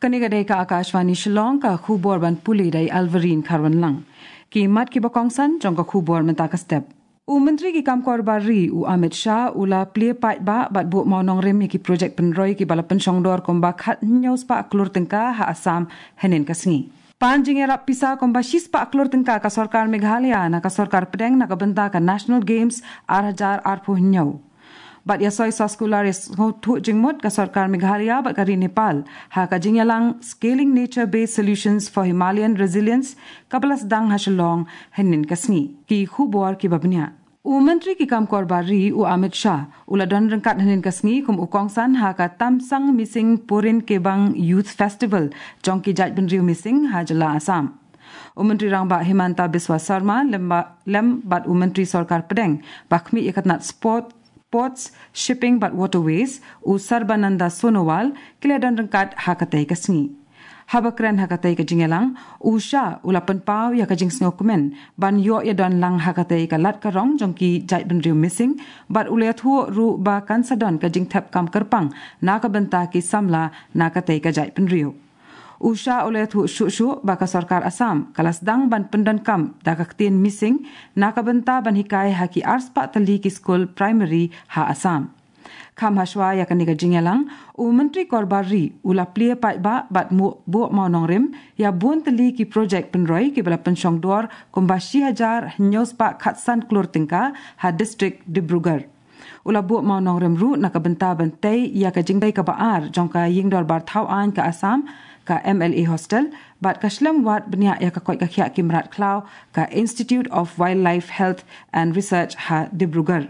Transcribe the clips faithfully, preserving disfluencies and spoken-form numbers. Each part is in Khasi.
Kane ka dei ka Akashvani Shillong, ka khubor ban pule da i Alvarine Kharwanlang. Ki mat kiba kongsan jong ka khubor mynta ka step. U Myntri ki kam kor bar ri u Amit Shah u la plie paidbah bad buh mawnongrim ïa ki projek pynroi kiba la pynshongdor kumba khathynñiew spah klur tyngka ha Assam hynnin ka sngi. Pan jingïarap pisa kumba shi spah klur tyngka ka sorkar Meghalaya na ka sorkar pdeng na ka bynta ka National Games ar hajar arphew hynñiew. Bad ïa soi soskular ïa sngewthuh jingmut ka sorkar Meghalaya bad ka ri Nepal ha ka jingïalang Scaling Nature Based Solutions for Himalayan Resilience kaba la sdang ha Shillong hynnin ka sngi. Ki khubor kiba bniah. U Myntri ki kam kor bar ri u Amit Shah u la don ryngkat hynnin ka sngi kum u kongsan ha ka Tamsang Mising Purin Kebang Youth Festival jong ki jaitbynriew Mising ha jylla Assam. U Myntri Rangbah Himanta Biswa Sarma lem ba-, lem bad u Myntri Sorkar Pdeng ba khmih ïa ka tnat Sport, Ports, Shipping bad Waterways u Sarbananda Sonowal ki la don ryngkat ha katei ka sngi. Haba kren ha katei ka jingïalang, u Shah u la pynpaw ïa ka jingsngewkmen ban ïoh ïadon lang ha katei ka lad ka rong jong ki jaitbynriew Mising bad u la ïathuh ruh ba kan sa don ka jingthep kam kyrpang na ka bynta ki samla na katei ka jaitbynriew. U Shah u la ïathuh shuh shuh ba ka sorkar Assam ka la sdang ban pyndonkam da ka ktien Mising na ka bynta ban hikai ha ki ar spah tylli ki skul primary ha Assam. Kham hashwa ïa kane ka jingïalang, u Myntri kor bar ri u la plie paidbah bad mu-, buh mawnongrim ïa bun tylli ki projek pynroi kiba la pynshongdor kumba shi hajar hynñiew spah khatsan klur tyngka ha district Dibrugarh. U la buh mawnongrim ruh na ka bynta ban tei ïa ka jingtei kaba ar jong ka ïing dorbar thaw aiñ ka Assam, ka M L A Hostel bad ka shlem wad bniah ïa ka koit ka khiah ki mrad khlaw, ka Institute of Wildlife Health and Research ha Dibrugarh.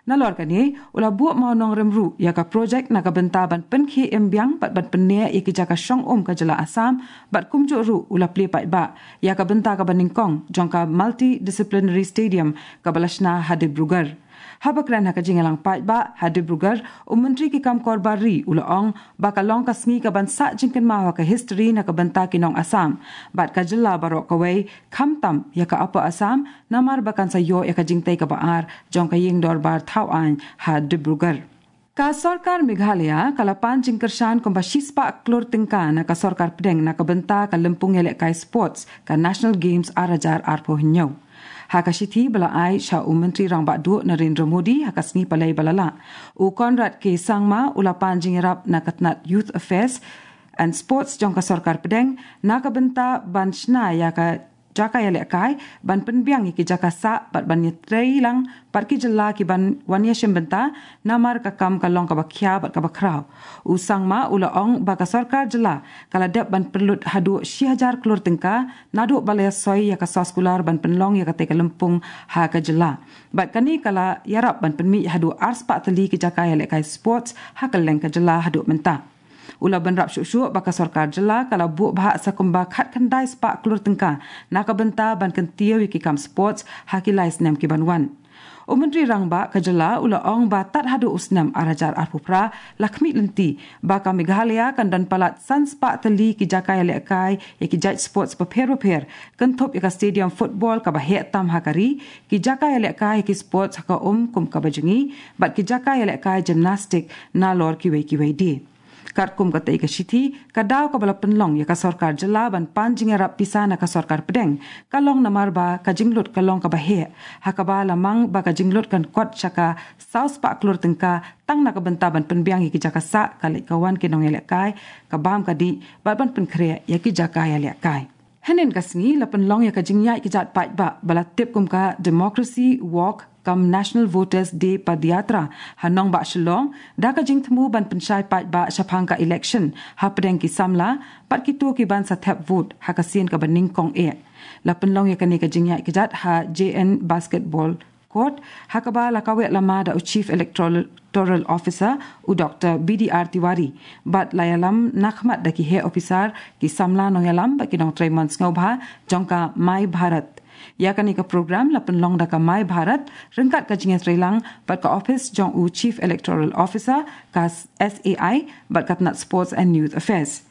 Nalor kane, u la buh mawnongrim ruh ïa ka projek na ka bynta ban pynkhie im biang bad ban pynneh ïa ki jaka shong um ka jylla Assam bad kumjuh ruh u la plie paidbah ïa ka bynta kaba nyngkong jong ka Multidisciplinary Stadium kaba la shna ha Dibrugarh. Haba kren ha ka jingïalang paidbah ha Dibrugarh, u Myntri ki kam kor bar ri u la ong ba ka long ka sngi kaban sah jingkynmaw ha ka history na ka bynta ki nong Assam bad ka jylla baroh kawei, khamtam ïa ka Upper Assam, namar ba kan sa ïoh ïa ka jingtei kaba ar jong ka ïing dorbar thaw aiñ ha Dibrugarh. Ka sorkar Meghalaya ka la pan jingkyrshan kumba shi spah klur tyngka na ka sorkar pdeng na ka bynta ka lympung ïalehkai sports ka National Games ar hajar arphew hynñiew. Ha ka shithi ba la ai sha u Myntri Rangbah Duh Narendra Modi ha ka sngi Palei ba la lah, u Conrad K Sangma u la pan jingïarap na ka tnat Youth Affairs and Sports jong ka sorkar pdeng na ka bynta ban shna ïa ka jaka ïalehkai, ban pynbiang ïa ki jaka sah bad ban ïatrei lang bad ki jylla kiban wan ïashim bynta, namar ka kam ka long kaba khia bad kaba khraw. U Sangma u la ong ba ka sorkar jylla ka la dep ban pynlut haduh shi hajar klur tyngka naduh ba la ïasoi ïa ka soskular ban pynlong ïa katei ka lympung ha ka jylla. Bad kane ka la ïarap ban pynmih haduh ar spah tylli ki jaka ïalehkai sports ha kylleng ka jylla haduh mynta. U la bynrap shuh shuh ba ka sorkar jylla ka la buh bhah sa kumba khatkhyndai spah klur tyngka na ka bynta ban kyntiew ïa ki kam sports ha ki lai snem kiban wan. U Myntri Rangbah ka jylla u la ong ba tad haduh u snem ar hajar arphew phra la khmih lynti ba ka Meghalaya kan don palat san spah tylli ki jaka ïalehkai ïa ki jait sports bapher bapher, kynthup ïa ka stadium football kaba heh tam ha ka ri, ki jaka ïalehkai ïa ki sports ha ka um kum kaba jngi bad ki jaka ïalehkai gymnastic nalor kiwei kiwei de. Katkum katei ka shithi, ka daw kaba la pynlong ïa ka sorkar jylla ban pan jingïarap pisa na ka sorkar pdeng ka long namar ba ka jinglut ka long kaba heh, ha kaba la mang ba ka jinglut kan kot sha ka saw spah klur tyngka tang na ka bynta ban pynbiang ïa ki jaka sah, ka leit ka wan ki nongïalehkai, ka bam ka dih bad ban pynkhreh ïa ki jaka ïalehkai. Hynnin ka sngi la pynlong ïa ka jingïaid kjat paidbah ba la tip kum ka Democracy Walk cum National Voters Day Padyatra ha nongbah Shillong, da ka jingthmu ban pynshai paidbah shaphang ka election hapdeng ki samla bad kito kiban sa thep vote ha ka sien kaba nyngkong eh. La pynlong ïa kane ka jingïaid kjat ha J N Basketball Court, ha kaba la kaweh lama da u Chief Electoral Officer, u Doctor B D R Tiwari, bad la ïalam nakhmat da ki heh officer, ki samla nongïalam bad ki nongtrei mon sngewbha jong ka My Bharat. Ïa kane ka program la pynlong da ka My Bharat ryngkat ka jingïatreilang bad ka ophis jong u Chief Electoral Officer, ka S A I, bad ka tnat Sports and Youth Affairs.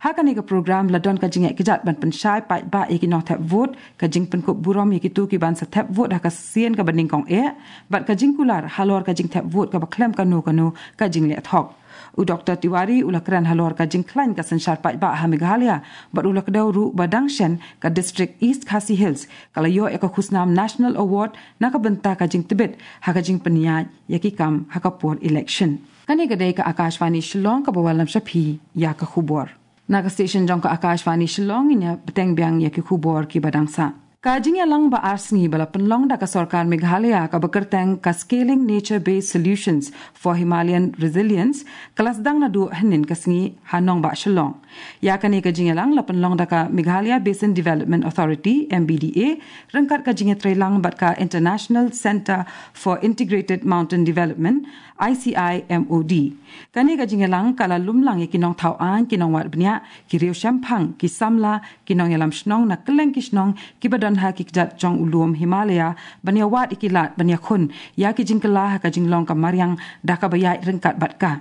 Ha kane ka program la don ka jingeh kjat ban pynshai paidbah ïa ki nongthep vote, ka jingpynkup burom ïa kito ki ban sa thep vote ha ka sien kaba nyngkong eh, bad ka jingkular halor ka jingthep vote kaba khlem kano kano ka jingleh thok. U Doktor Tiwari u la kren halor ka jingkhlaiñ ka synshar paidbah ha Meghalaya, bad u la kdew ruh ba dang shen ka District East Khasi Hills ka la ïoh ïa ka khusnam National Award na ka bynta ka jingtbit ha ka jingpynïaid ïa ki kam ha ka por election. Kane ka dei ka Akashvani Shillong kaba wallam sha phi ïa ka khubor. Na ka station jong ka Akashvani Shillong, ngin ïa bteng biang ïa ki khubor kiba dang sah. Ka jingïalang ba ar sngi ba la pynlong da ka sorkar Meghalaya kaba kyrteng ka Scaling Nature Based Solutions for Himalayan Resilience ka la sdang naduh hynnin ka sngi ha nongbah Shillong. Ïa kane ka jingïalang la pynlong da ka Meghalaya Basin Development Authority, M B D A, ryngkat ka jingïatreilang bad ka International Centre for Integrated Mountain Development, I C I M O D. Kane ka jingïalang ka la lumlang ïa ki nongthaw aiñ, ki nongwad bniah, ki riewshemphang, ki samla, ki nongïalam shnong na kylleng ki shnong kiba don ha ki kjat jong u lum Himalaya, ban ïa wad ïa ki lad ban ïakhun ïa ki jingkylla ha ka jinglong ka mariang da kaba ïaid ryngkat bad ka.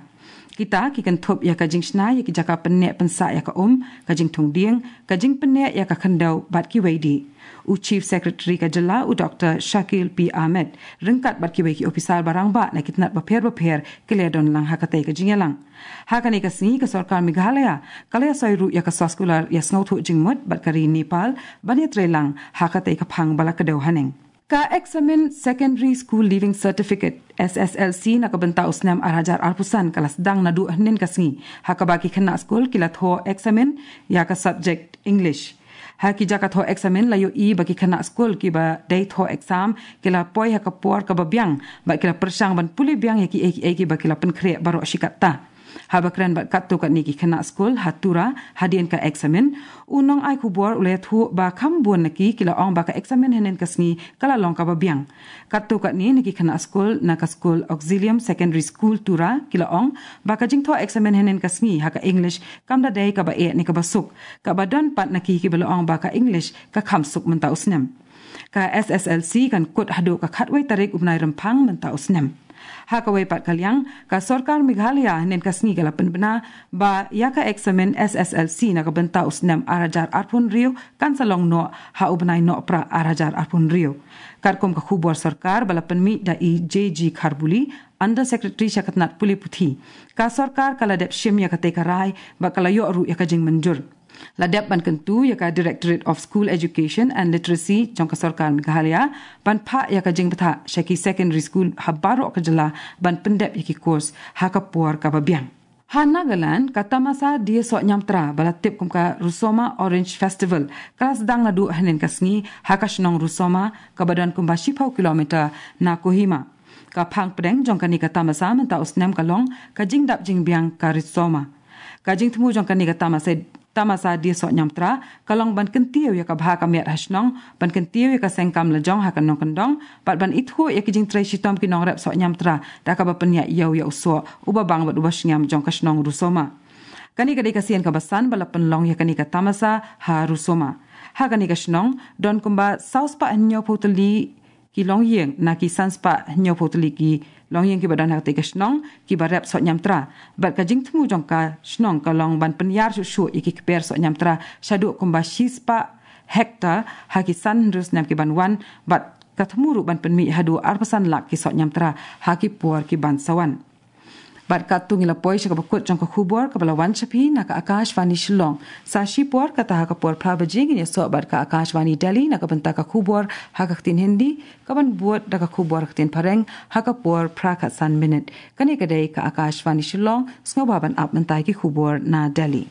Kita ki kynthup ïa ka jingshna ïa ki jaka pynneh pynsah ïa ka um, ka jingthung dieng, ka jingpynneh ïa ka khyndew bad kiwei de. U Chief Secretary ka jylla, u Doktor Shakil P Ahmed, ryngkat bad kiwei ki ophisar ba rangbah na ki tnat bapher bapher ki la ïadon lang ha katei ka jingïalang. Ha kane ka sngi ka sorkar Meghalaya ka la ïasoi ruh ïa ka soskular ïasngewthuh jingmut bad ka ri Nepal ban ïatreilang ha katei ka phang ba la kdew haneng. Ka eksamin Secondary School Leaving Certificate, S S L C, na ka bynta u snem ar hajar arphew san ka la sdang naduh hynnin ka sngi, ha kaba ki khynnah skul ki la thoh eksamin ïa ka subject English. Ha ki jaka thoh eksamin la ïohi ba ki khynnah skul kiba dei thoh exam ki la poi ha ka por kaba biang bad ki la pyrshang ban pule biang ïa kiei kiei kiba ki la pynkhreh baroh shi katta. Haba kren bad katto katne ki khynnah skul ha Tura hadien ka eksamin, u nongai khubor u la ïathuh ba kham bun na ki ki la ong ba ka eksamin hynnin ka sngi ka la long kaba biang. Katto katne na ki khynnah skul na ka skul Auxilium Secondary School Tura ki la ong ba ka jingthoh eksamin hynnin ka sngi ha ka English kam da dei kaba eh ne kaba suk, kaba don pat na ki kiba la ong ba ka English ka kham suk mynta u snem. Ka S S L C kan kut haduh ka khatwei tarik u bnai Rymphang mynta u snem. Ha kawei pat ka liang, ka sorkar Meghalaya hynnin ka sngi ka la pynbna ba ïa ka eksamin S S L C na ka bynta u snem ar hajar arphew hynriew kan sa long noh ha u bnai Nohprah ar hajar arphew hynriew. Katkum ka khubor sorkar ba la pynmih da i J G Kharbuli, Under Secretary sha ka tnat pule puthi, ka sorkar ka la dep shim ïa katei ka rai bad ka la ïoh ruh ïa ka jingmynjur. La dep ban kyntu ïa ka Directorate of School Education and Literacy jong ka sorkar Meghalaya ban phah ïa ka jingbthah sha ki secondary school ha baroh ka jylla ban pyndep ïa ki course ha ka por kaba biang. Ha Nagaland, ka tamasa die soh ñiamtra ba la tip kum ka Rusoma Orange Festival ka la sdang naduh hynnin ka sngi ha ka shnong Rusoma, kaba don kumba shiphew kilometer na Kohima. Ka phang pdeng jong kane ka tamasa mynta u snem ka long ka jingdap jingbiang ka Rusoma. Ka jingthmu jong kane ka tamasa, tamasa die soh ñiamtra ka long ban kyntiew ïa ka bha ka miat ha shnong, ban kyntiew ïa ka seng kam lajong ha ka nongkyndong, bad ban ithuh ïa ki jingtrei shitom ki nongrep soh ñiamtra da kaba pynïaid ïew ïa u soh uba bang bad uba shngiam jong ka shnong Rusoma. Kane ka dei ka sien kaba san ba la pynlong ïa kane ka tamasa ha Rusoma. Ha kane ka shnong don kumba saw spah hynñiewphew tylli ki longïing na ki san spah hynñiewphew tylli ki longïing kiba don ha katei ka shnong kiba rep soh ñiamtra. Bad ka jingthmu jong ka shnong ka long ban pynïar shuh shuh ïa ki kper soh ñiamtra shaduh kumba shi spah hektar ha ki san hynriew snem ki ban wan, bad ka thmu ruh ban pynmih haduh arphew san lak ki soh ñiamtra ha ki por ki ban sa wan. Bad katto ngi la poi sha kaba kut jong ka khubor kaba la wan sha phi na ka Akashvani Shillong. Sa shipor, kata ha ka por phra baje, ngin ïasoh bad ka Akashvani Delhi na ka bynta ka khubor ha ka ktien Hindi, kaban bud da ka khubor ha ka ktien Phareng ha ka por phra khatsan minit. Kane ka dei ka Akashvani Shillong, sngewbha ban ap mynta ki khubor na Delhi.